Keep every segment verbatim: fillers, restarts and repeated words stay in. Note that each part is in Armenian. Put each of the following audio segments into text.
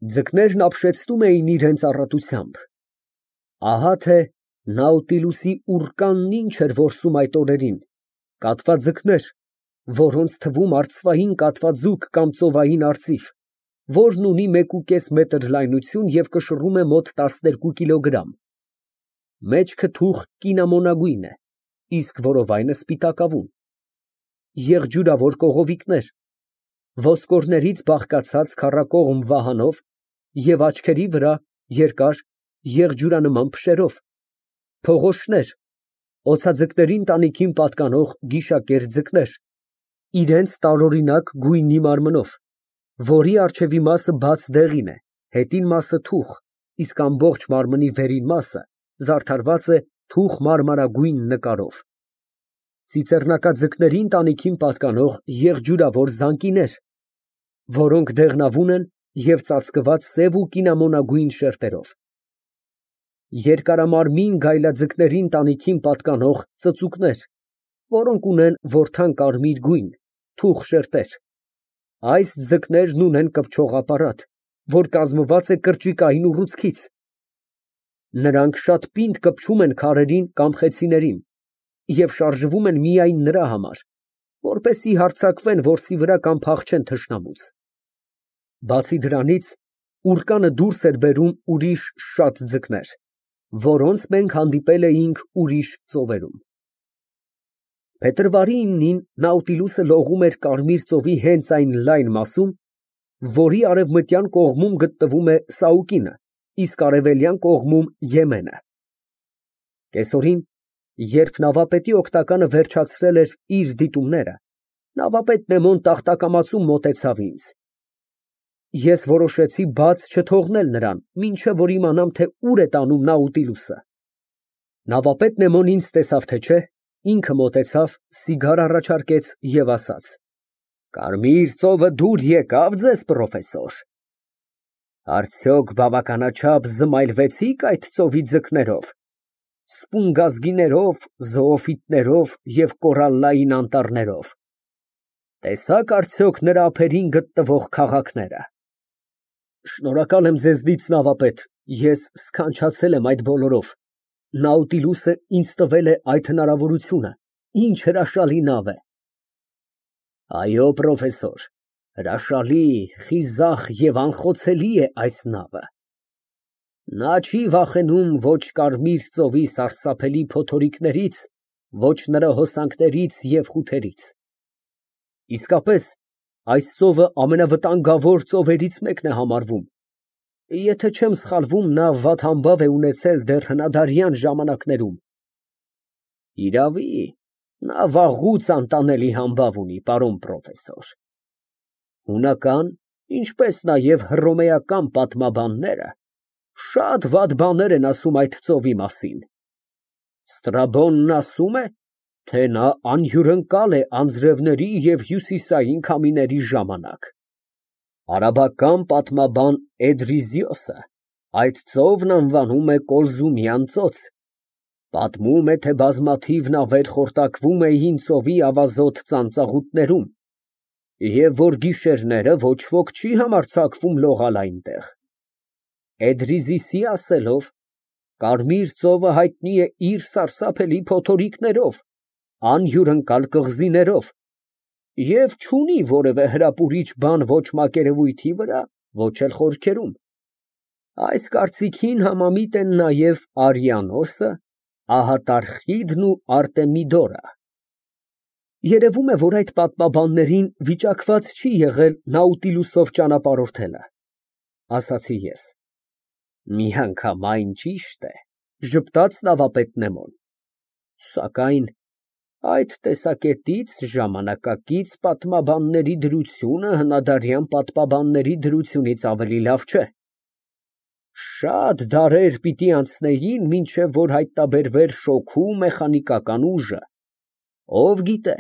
Ձկներն ապշեցնում էին իրենց առատությամբ։ Ահա թե Նաուտիլուսի ուռկանն ինչ էր որսում այդ օրերին, կատված ձկներ, որոնց թվում արծվային կատվաձուկ կամ ծովային արծիվ, որն ունի մեկուկես մետր լայնություն և կշռում է մոտ տասներկու կիլոգրամ, մեջքը թուխ կինամոնագույն է, իսկ որովայնը սպիտակավուն, եղջյուրավոր կողովիկներ, ոսկորներից բաղկացած քառակողմ վահանով և աչքերի վրա երկար եղջյուրանման փշերով, փողոշներ, օձաձկներին տանիքին պատկանող գիշակերտ ձկներ, իրենց տարօրինակ գույնի մարմնով, որի առջևի մասը բաց դեղին է, հետին մասը թուխ, իսկ ամբողջ մարմնի վերին մասը զարդարված է թուխ մարմարագույն նկարով, ծիծեռնակաձկներին տանիքին պատկանող եղջյուրավոր զանկիներ, որոնք դեղնավուն են և ծածկված սև ու կինամոնագույն շերտերով, երկարամարմին գայլաձկներին տանիքին պատկանող ծծուկներ, որոնք ունեն որդան կարմիր գույն, թուխ շերտեր, այս ձկներն ունեն կպչող ապարատ, որ կազմված է կրճիկային ուռուցքից, նրանք շատ պինդ կպչում են քարերին կամ խեցիներին և շարժվում են միայն նրա համար, որպեսզի հարձակվեն որսի վրա կամ փախչեն թշնամուց։ Բացի դրանից, ուռկանը դուրս էր բերում ուրիշ շատ ձկներ, որոնց մենք հանդիպել էինք ուրիշ ծովերում։ Փետրվարի իննին Նաուտիլուսը լողում էր Կարմիր ծովի հենց այն լայն մասում, որի արևմտյան կողմում գտնվում է Սաուկինը, իսկ արևելյան կողմում Եմենը։ Կեսօրին, երբ նավապետի օգնականը վերջացրել էր իր դիտումները, նավապետ Նեմոն տախտակամածում մոտեցավ ինձ։ Ես որոշեցի բաց չթողնել նրան, մինչև որ իմանամ, թե ուր է տանում Նաուտիլուսը։ Նավապետ Նեմոն ինձ տեսավ, թե չէ, ինքը մոտեցավ, սիգար առաջարկեց և ասաց. Կարմիր ծովը դուր եկա՞վ ձեզ, պրոֆեսոր։ Արդյոք բավականաչափ զմայլվեցի՞ք այդ ծովի ձկներով, սպունգազգիներով, զոոֆիտներով և կորալլային անտառներով։ Տեսա՞ք արդյոք նրա ափերին գտնվող քաղաքները։ Շնորհակալ եմ ձեզնից, նավապետ, ես սքանչացել եմ այդ բոլորով, Նաուտիլուսը ինձ տվել է այդ հնարավորությունը, ինչ հրաշալի նավ է։ Այո, պրոֆեսոր, հրաշալի, խիզախ և անխոցելի է այս նավը։ Նա չի վախենում ոչ Կարմիր ծովի սարսափելի փոթորիկներից, ոչ նրա հոսանքներից և խութերից։ Իսկապես, այս ծովը ամենավտանգավոր ծովերից մեկն է համարվում, եթե չեմ սխալվում, նա վատ համբավ է ունեցել դեռ հնադարյան ժամանակներում։ Իրավի, նա վաղուց անտանելի համբավ ունի, պարոն պրոֆեսոր։ Հունական, ինչպես նաև հռոմեական պատմաբանները շատ վատ բաներ են ասում այդ ծովի մասին։ Ստրաբոնն ասում է, թե նա անհյուրընկալ է անձրևների և հյուսիսային քամիների ժամանակ։ Արաբական պատմաբան Էդրիզիոսը այդ ծովն անվանում է Կոլզումյան ծոց, պատմում է, թե բազմաթիվ նավեր խորտակվում էին ծովի ավազոտ ծանծաղուտներում, և որ գիշերները ոչ ոք չի համարձակվում լողալ այնտեղ։ Էդրիզիսի ասելով, Կարմիր ծովը հայտնի է իր սարսափելի փոթորիկներով, անհյուրընկալ կղզիներով և չունի որևէ հրապուրիչ բան ոչ մակերևույթի վրա, ոչ էլ խորքերում։ Այս կարծիքին համամիտ են նաև Արիանոսը, Ահատարխիդն ու Արտեմիդորը։ Երևում է, որ այդ պատմաբաններին վիճակված չի եղել Նաուտիլուսով ճանապարհորդելը, ասացի ես։ Միանգամայն ճիշտ է, ժպտաց նավապետ Նեմոն, սակայն այդ տեսակետից ժամանակակից պատմաբանների դրությունը հնադարյան պատմաբանների դրությունից ավելի լավ չէ։ Շատ դարեր պիտի անցնեին, մինչև որ հայտնաբերվեր շոգու մեխանիկական ուժը։ Ով գիտե,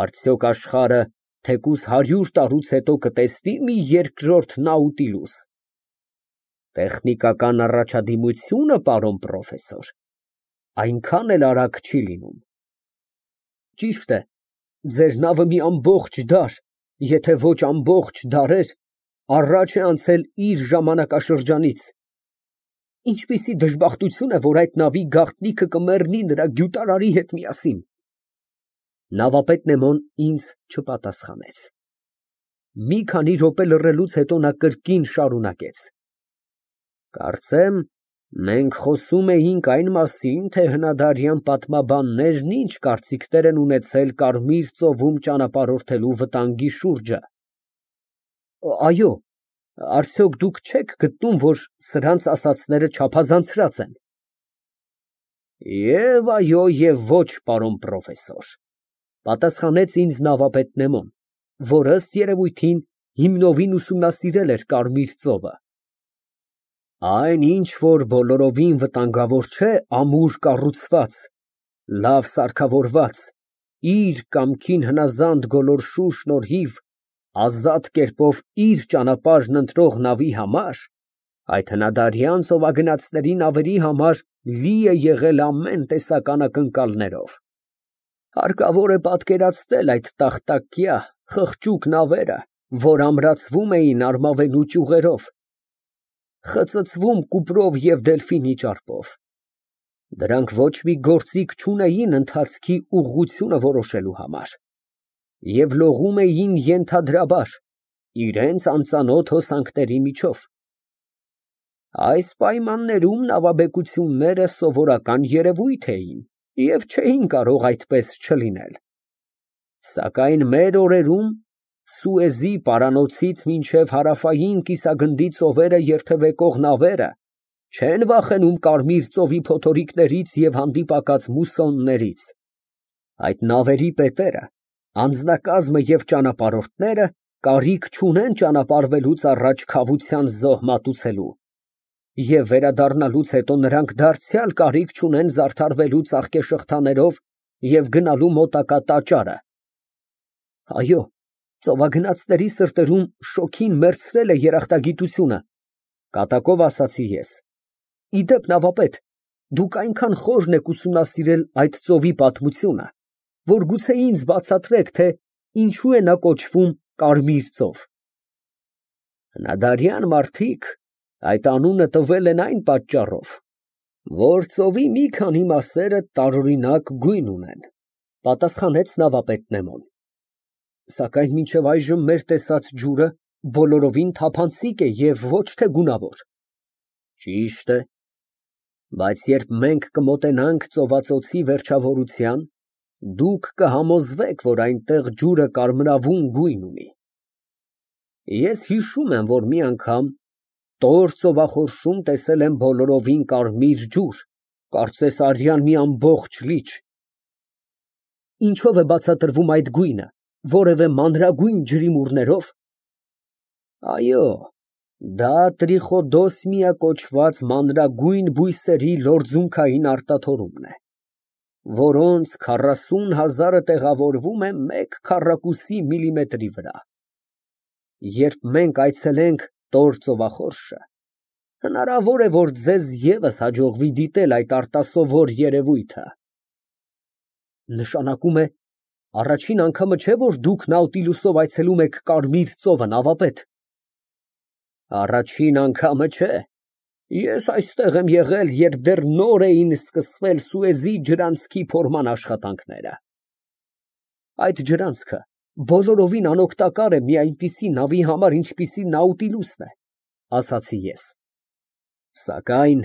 արդյոք աշխարհը թեկուզ հարյուր տարուց հետո կտեսնի՞ մի երկրորդ Նաուտիլուս։ Տեխնիկական առաջադիմությունը, պարոն պրոֆեսոր, այնքան էլ արագ չի լինում։ Ճիշտ է, ձեր նավը մի ամբողջ դար, եթե ոչ ամբողջ դարեր, առաջ է անցել իր ժամանակաշրջանից։ Ինչպիսի դժբախտություն է, որ այդ նավի գաղտնիքը կմեռնի նրա գյուտարարի հետ միասին։ Նավապետ Նեմոն ինձ չպատասխանեց։ Մի քանի րոպե լռելուց հետո նա կրկին շարունակեց. Կարծեմ, մենք խոսում էինք այն մասին, թե հնադարյան պատմաբաններն ինչ կարծիքներ են ունեցել Կարմիր ծովում ճանապարհորդելու վտանգի շուրջը։ Այո, արդյոք դուք չեք գտնում, որ սրանց ասածները չափազանցրած են։ Եվ այո, և ոչ, պարոն պրոֆեսոր, պատասխանեց ինձ նավապետ Նեմոն, որ ըստ երևույթին հիմնովին ուսումնասիրել էր Կարմիր ծովը։ Այն ինչ, որ բոլորովին վտանգավոր չէ, ամուր կառուցված, լավ սարքավորված, իր կամքին հնազանդ գոլորշու շնորհիվ ազատ կերպով իր ճանապարհն ընտրող նավի համար, այդ հնադարյան ծովագնացների նավերի համար լի է եղել ամեն տեսակ անակնկալներով։ Հարկավոր է պատկերացնել այդ տախտակյա, խղճուկ նավերը, որ ամրացվում էին արմավենու ճյուղերով, խծծվում կուպրով և դելֆինի ճարպով։ Դրանք ոչ մի գործիք չունեին ընթացքի ուղղությունը որոշելու համար և լողում էին ենթադրաբար, իրենց անծանոթ հոսանքների միջով։ Այս պայմաններում նավաբեկությունները սովորական երևույթ էին և չէին կարող այդպես չլինել։ Սակայն մեր օրերում Սուեզի պարանոցից մինչև Հարավային կիսագնդի ծովերը երթևեկող նավերը չեն վախենում Կարմիր ծովի փոթորիկներից և հանդիպակաց մուսոններից։ Այդ նավերի պետերը, անձնակազմը և ճանապարհորդները կարիք չունեն ճանապարհվելուց առաջ քավության զոհ մատուցելու, և վերադառնալուց հետո նրանք դարձյալ կարիք չունեն զարդարվելու ծաղկեշղթաներով և գնալու մոտակա տաճարը։ Այո, ծովագնացների սրտերում շոգին մեռցրել է երախտագիտությունը, կատակով ասացի ես։ Ի դեպ, նավապետ, դուք այնքան խորն եք ուսումնասիրել այդ ծովի պատմությունը, որ գուցե ինձ բացատրեք, թե ինչու է նա կոչվում Կարմիր ծով։ Հնադարյան մարդիկ այդ անունը տվել են այն պատճառով, որ ծովի մի քանի մասերը տարօրինակ գույն ունեն, պատասխանեց նավապետ Նեմոն։ Սակայն մինչև այժմ մեր տեսած ջուրը բոլորովին թափանցիկ է և ոչ թե գունավոր։ Ճիշտ է, բայց երբ մենք կմոտենանք ծովածոցի վերջավորության, դուք կհամոզվեք, որ այնտեղ ջուրը կարմրավուն գույն ունի։ Ես հիշում եմ, որ մի անգամ Տոր ծովախորշում տեսել եմ բոլորովին կարմիր ջուր, կարծես արյան մի ամբողջ լիճ։ Ինչո՞վ է բացատրվում այդ գույնը, որևէ մանրագույն ջրիմուռներով։ Այո, դա տրիխոդոսմիա կոչված մանրագույն բույսերի լորձունքային արտաթորումն է, որոնց քառասուն հազարը տեղավորվում է մեկ քառակուսի միլիմետրի վրա։ Երբ մենք այցելենք Տոր ծովախորշը, հնարավոր է, որ ձեզ ևս հաջողվի դիտել այդ արտասովոր երևույթը։ Նշանակում է, առաջին անգամը չէ, որ դուք Նաուտիլուսով այցելում եք Կարմիր ծովը, նավապետ։ Առաջին անգամը չէ։ Ես այստեղ եմ եղել, երբ դեռ նոր էին սկսվել Սուեզի ջրանցքի փորման աշխատանքները։ Այդ ջրանցքը բոլորովին անօգտակար է մի այնպիսի նավի համար, ինչպիսին Նաուտիլուսն է, ասացի ես։ Սակայն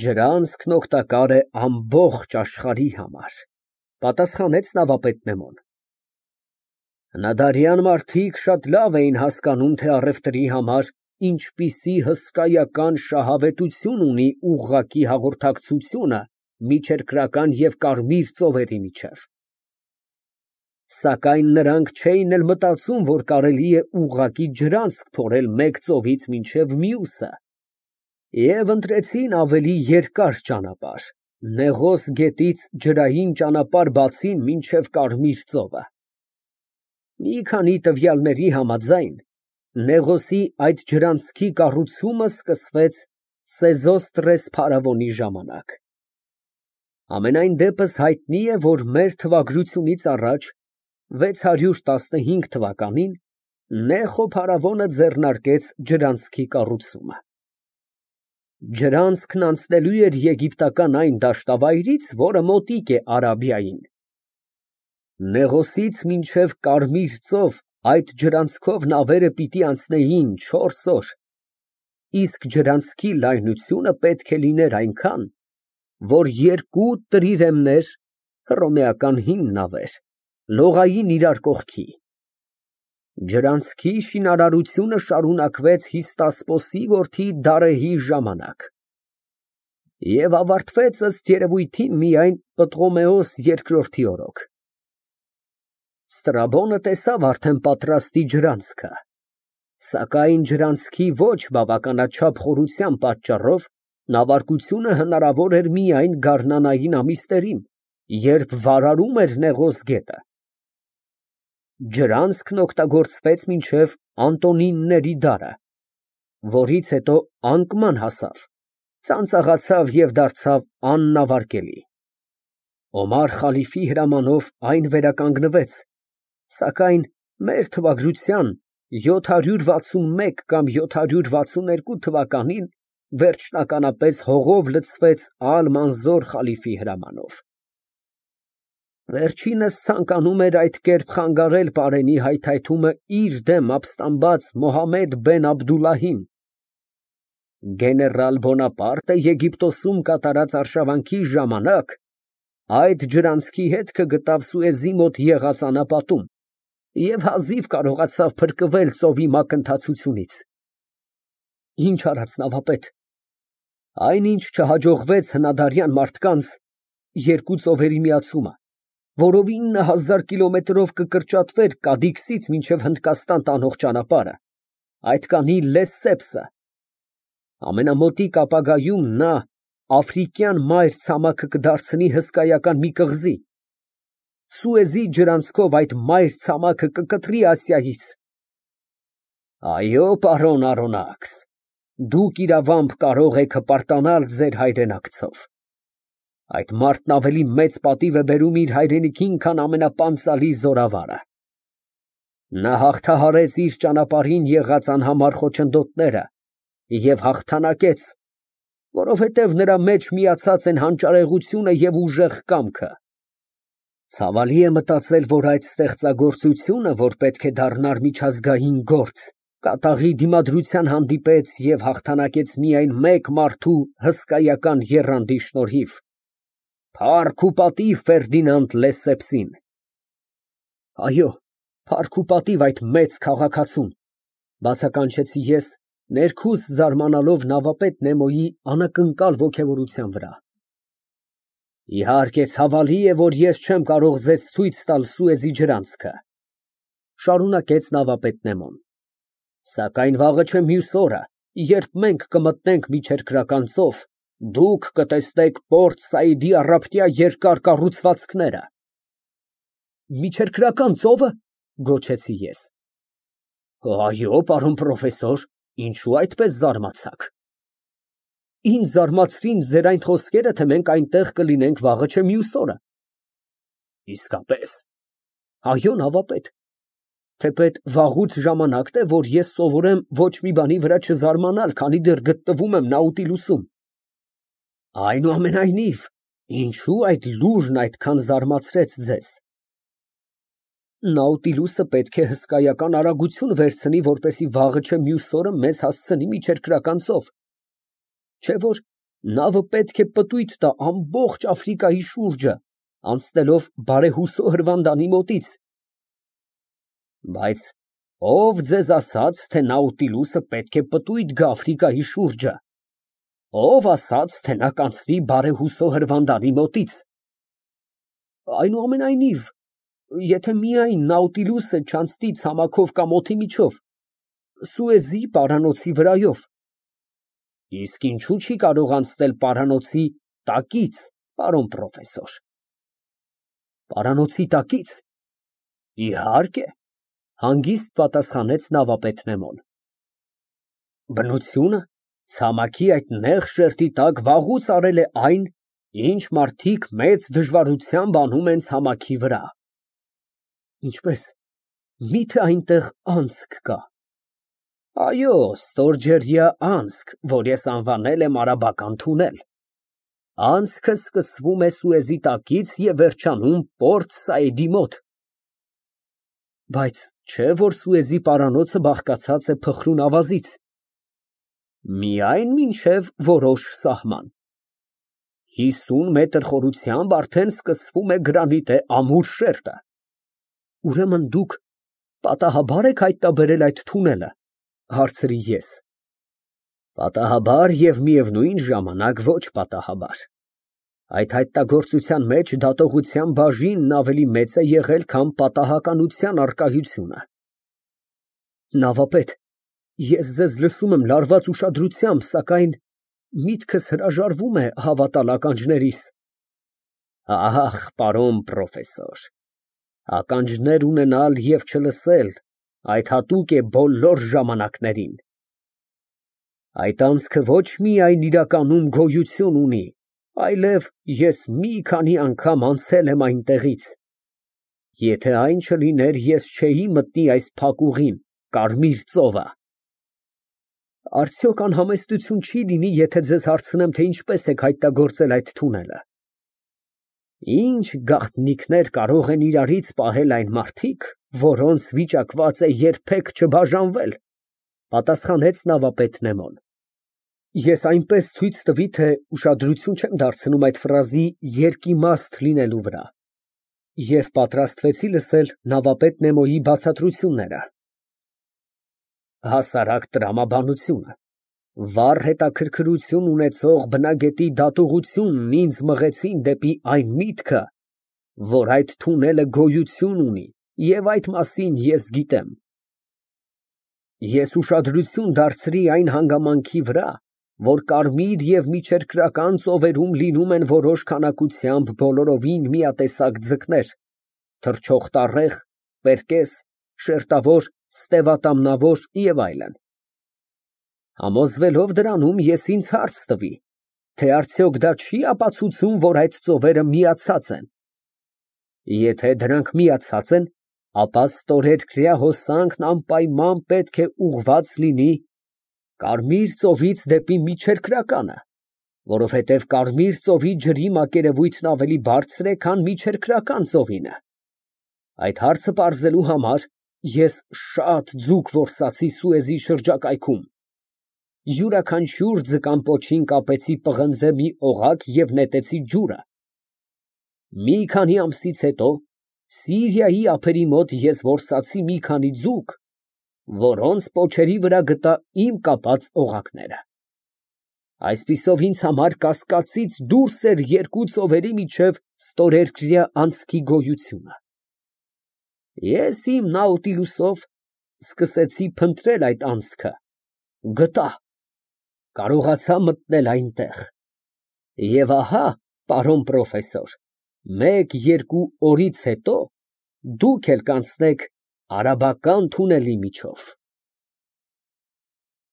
ջրանցքն օգտակար է ամբողջ աշխարհի համար, պատասխանեց նավապետ Նեմոն։ Հնադարյան մարդիկ շատ լավ էին հասկանում, թե առևտրի համար ինչպիսի հսկայական շահավետություն ունի ուղղակի հաղորդակցությունը միջերկրական և Կարմիր ծովերի միջև։ Սակայն նրանք չէին էլ մտածում, որ կարելի է ուղղակի ջրանցք փորել մեկ ծովից մինչև մյուսը, և ընտրեցին ավելի երկար ճանապարհ, Նեղոս գետից ջրային ճանապարհ բացին մինչև Կարմիր ծովը։ Մի քանի տվյալների համաձայն, Նեղոսի այդ ջրանցքի կառուցումը սկսվեց Սեզոստրես փարավոնի ժամանակ։ Համենայն դեպս հայտնի է, որ մեր թվագրությունից առաջ վեց հարյուր տասնհինգ թվականին Նեխո փարավոնը ձեռնարկեց ջրանցքի կառուցումը։ Ջրանցքն անցնելու էր եգիպտական այն դաշտավայրից, որը մոտիկ է Արաբիային։ Նեղոսից մինչև Կարմիր ծով այդ ջրանցքով նավերը պիտի անցնեին չորս օր, իսկ ջրանցքի լայնությունը պետք է լիներ այնքան, որ երկու տրիրեմներ (հռոմեական հին նավեր) լողային իրար կողքի։ Ջրանցքի շինարարությունը շարունակվեց Հիստասպոսի որդի Դարեհի ժամանակ և ավարտվեց ըստ երևույթին միայն Պտղոմեոս երկրորդի օրոք։ Ստրաբոնը տեսավ արդեն պատրաստի ջրանցքը, սակայն ջրանցքի ոչ բավականաչափ խորության պատճառով նավարկությունը հնարավոր էր միայն գարնանային ամիսներին, երբ վարարում էր Նեղոս գետը։ Ջրանցքն օգտագործվեց մինչև Անտոնինների դարը, որից հետո անկման հասավ, ծանծաղացավ և դարձավ աննավարկելի։ Օմար խալիֆի հրամանով այն վերականգնվեց, սակայն մեր թվագրության յոթ հարյուր վաթսունմեկ կամ յոթ հարյուր վաթսուն երկու թվականին վերջնականապես հողով լցվեց Ալ֊Մանզոր խալիֆի հրամանով։ Վերջինս ցանկանում էր այդ կերպ խանգարել պարենի հայթայթումը իր դեմ ապստամբած Մոհամմեդ բեն Աբդուլլահին։ Գեներալ Բոնապարտը Եգիպտոսում կատարած արշավանքի ժամանակ այդ ջրանցքի հետքը գտավ Սուեզի մոտ եղած անապատում և հազիվ կարողացավ փրկվել ծովի մակընթացությունից։ Ինչ արած նավապետ։ Այնինչ չհաջողվեց հնադարյան մարդկանց երկու ծովերի միացումը, որով ինը հազար կիլոմետրով կկրճատվեր Կադիքսից մինչև Հնդկաստան տանող ճանապարհը, այդ կանի Լեսսեպսը։ Ամենամոտիկ ապագայում նա աֆրիկյան մայր ցամաքը կդարձնի հսկայական մի կղզի։ Սուեզի ջրանցքով այդ մայր ցամաքը կկտրի Ասիայից։ Այո, պարոն Արոնաքս, դուք իրավամբ կարող եք հպարտանալ ձեր հայրենակցով։ Այդ մարդն ավելի մեծ պատիվ է բերում իր հայրենիքին, քան ամենապանծալի զորավարը։ Նա հաղթահարեց իր ճանապարհին եղած անհամար խոչընդոտները և հաղթանակեց, որովհետև նրա մեջ միացած են հանճարեղությունը և ուժեղ կամքը։ Ցավալի է մտածել, որ այդ ստեղծագործությունը, որ պետք է դառնար միջազգային գործ, կատաղի դիմադրության հանդիպեց և հաղթանակեց միայն մեկ մարդու հսկայական եռանդի շնորհիվ։ Փառք ու պատիվ Ֆերդինանդ Լեսսեպսին։ Այո, փառք ու պատիվ այդ մեծ քաղաքացուն, բացականչեցի ես, ներքուս զարմանալով նավապետ Նեմոյի անակնկալ ոգևորության վրա։ Իհարկե, ցավալի է, որ ես չեմ կարող ձեզ ցույց տալ Սուեզի ջրանցքը, շարունակեց նավապետ Նեմոն, սակայն վաղը չէ մյուս օրը, երբ մենք կմտնենք միջերկրական ծով, դուք կտեսնեք Պորտ Սաիդի առափտյա երկար կառուցվածքները։ Միջերկրական ծո՞վը, գոչեցի ես։ Այո, պարոն պրոֆեսոր, ինչու այդպես զարմացաք։ Ինձ զարմացրին ձեր այն խոսքերը, թե մենք այնտեղ կլինենք վաղը չէ մյուս օրը։ Իսկապես։ Այո, նավապետ, թեպետ վաղուց ժամանակն է, որ ես սովորեմ ոչ մի բանի վրա չզարմանալ, քանի դեռ գտնվում եմ Նաուտիլուսում։ Այնուամենայնիվ, ինչու այդ լուրն այդքան զարմացրեց ձեզ։ Նաուտիլուսը պետք է հսկայական արագություն վերցնի, որպեսզի վաղը չէ մյուս օրը մեզ հասցնի միջերկրական ծով, չէ՞ որ նավը պետք է պտույտ տա ամբողջ Աֆրիկայի շուրջը, անցնելով բարեհուսո հրվանդանի մոտից։ Բայց ո՞վ ձեզ ասաց, թե Նաուտիլուսը պետք է պտույտ գա Աֆրիկայի շուրջը։ Ո՞վ ասաց, թե նա կանցնի բարեհուսո հրվանդանի մոտից։ Այնուամենայնիվ, եթե միայն Նաուտիլուսը չանցնի ցամաքով կամ օդի միջով, Սուեզի պարանոցի վրայով։ Իսկ ինչու չի կարող անցնել պարանոցի տակից, պարոն պրոֆեսոր։ Պարանոցի տակից։ Իհարկե, հանգիստ պատասխանեց նավապետ Նեմոն։ Բնությունը ցամաքի այդ նեղ շերտի տակ վաղուց արել է այն, ինչ մարդիկ մեծ դժվարությամբ անում են ցամաքի վրա։ Ինչպե՞ս։ Միթե այնտեղ անցք կա։ Այո, ստորջրյա անցք, որ ես անվանել եմ արաբական թունել։ Անցքը սկսվում է Սուեզի տակից և վերջանում Պորտ Սաիդի մոտ։ Բայց չէ՞ որ Սուեզի պարանոցը բաղկացած է փխրուն ավազից։ Միայն մինչև որոշ սահման։ Հիսուն մետր խորությամբ արդեն սկսվում է գրանիտե ամուր շերտը։ Ուրեմն դուք պատահաբա՞ր եք հայտնաբերել այդ թունելը, հարցրի ես։ Պատահաբար և միևնույն ժամանակ ոչ պատահաբար։ Այդ հայտնագործության մեջ դատողության բաժինն ավելի մեծ է եղել, քան պատահականության առկայությունը։ Նավապետ, ես ձեզ լսում եմ լարված ուշադրությամբ, սակայն միտքս հրաժարվում է հավատալ ականջներիս։ Ահ, պարոն պրոֆեսոր, ականջներ ունենալ և չլսել, այդ հատուկ է բոլոր ժամանակներին։ Այդ անցքը ոչ միայն իրականում գոյություն ունի, այլև ես մի քանի անգամ անցել եմ այնտեղից։ Եթե այն չլիներ, ես չէի մտնի այս փակուղին, Կարմիր ծովը։ Արդյոք անհամեստություն չի լինի, եթե ձեզ հարցնեմ, թե ինչպես եք հայտնագործել այդ թունելը։ Ինչ գաղտնիքներ կարող են իրարից պահել այն մարդիկ, որոնց վիճակված է երբեք չբաժանվել, պատասխանեց նավապետ Նեմոն։ Ես այնպես ցույց տվի, թե ուշադրություն չեմ դարձնում այդ ֆրազի երկիմաստ լինելու վրա, և պատրաստվեցի լսել նավապետ Նեմոյի բացատրությունները։ Հասարակ տրամաբանությունը, վառ հետաքրքրություն ունեցող բնագետի դատողությունն ինձ մղեցին դեպի այն միտքը, որ այդ թունելը գոյություն ունի, և այդ մասին ես գիտեմ։ Ես ուշադրություն դարձրի այն հանգամանքի վրա, որ կարմիր և միջերկրական ծովերում լինում են որոշ քանակությամբ բոլորովին միատեսակ ձկներ, թռչող տառեղ, պերկես, շերտավոր, ստևատամնավոր և այլն։ Համոզվելով դրանում, ես ինձ հարց տվի, թե արդյոք դա չի ապացուցում, որ այդ ծովերը միացած են։ Եթե դրանք միացած են, ապա ստորերկրյա հոսանքն անպայման պետք է ուղղված լինի Կարմիր ծովից դեպի միջերկրականը, որովհետև Կարմիր ծովի ջրի մակերևույթն ավելի բարձր է, քան միջերկրական ծովինը։ Այդ հարցը պարզելու համար ես շատ ձուկ որսացի Սուեզի շրջակայքում, յուրաքանչյուր ձկան պոչին կապեցի պղնձե մի օղակ և նետեցի ջուրը։ Մի քանի ամսից հետո Սիրիայի ափերի մոտ ես որսացի մի քանի ձուկ, որոնց պոչերի վրա գտա իմ կապած օղակները։ Այսպիսով ինձ համար կասկածից դուրս էր երկու ծովերի միջև ստորերկրյա անցքի գոյությունը։ Ես իմ նաուտիլուսով սկսեցի փնտրել այդ անցքը, գտա, կարողացա մտնել այնտեղ։ Եվ ահա, պարոն պրոֆեսոր, մեկ֊երկու օրից հետո դուք էլ կանցնեք արաբական թունելի միջով։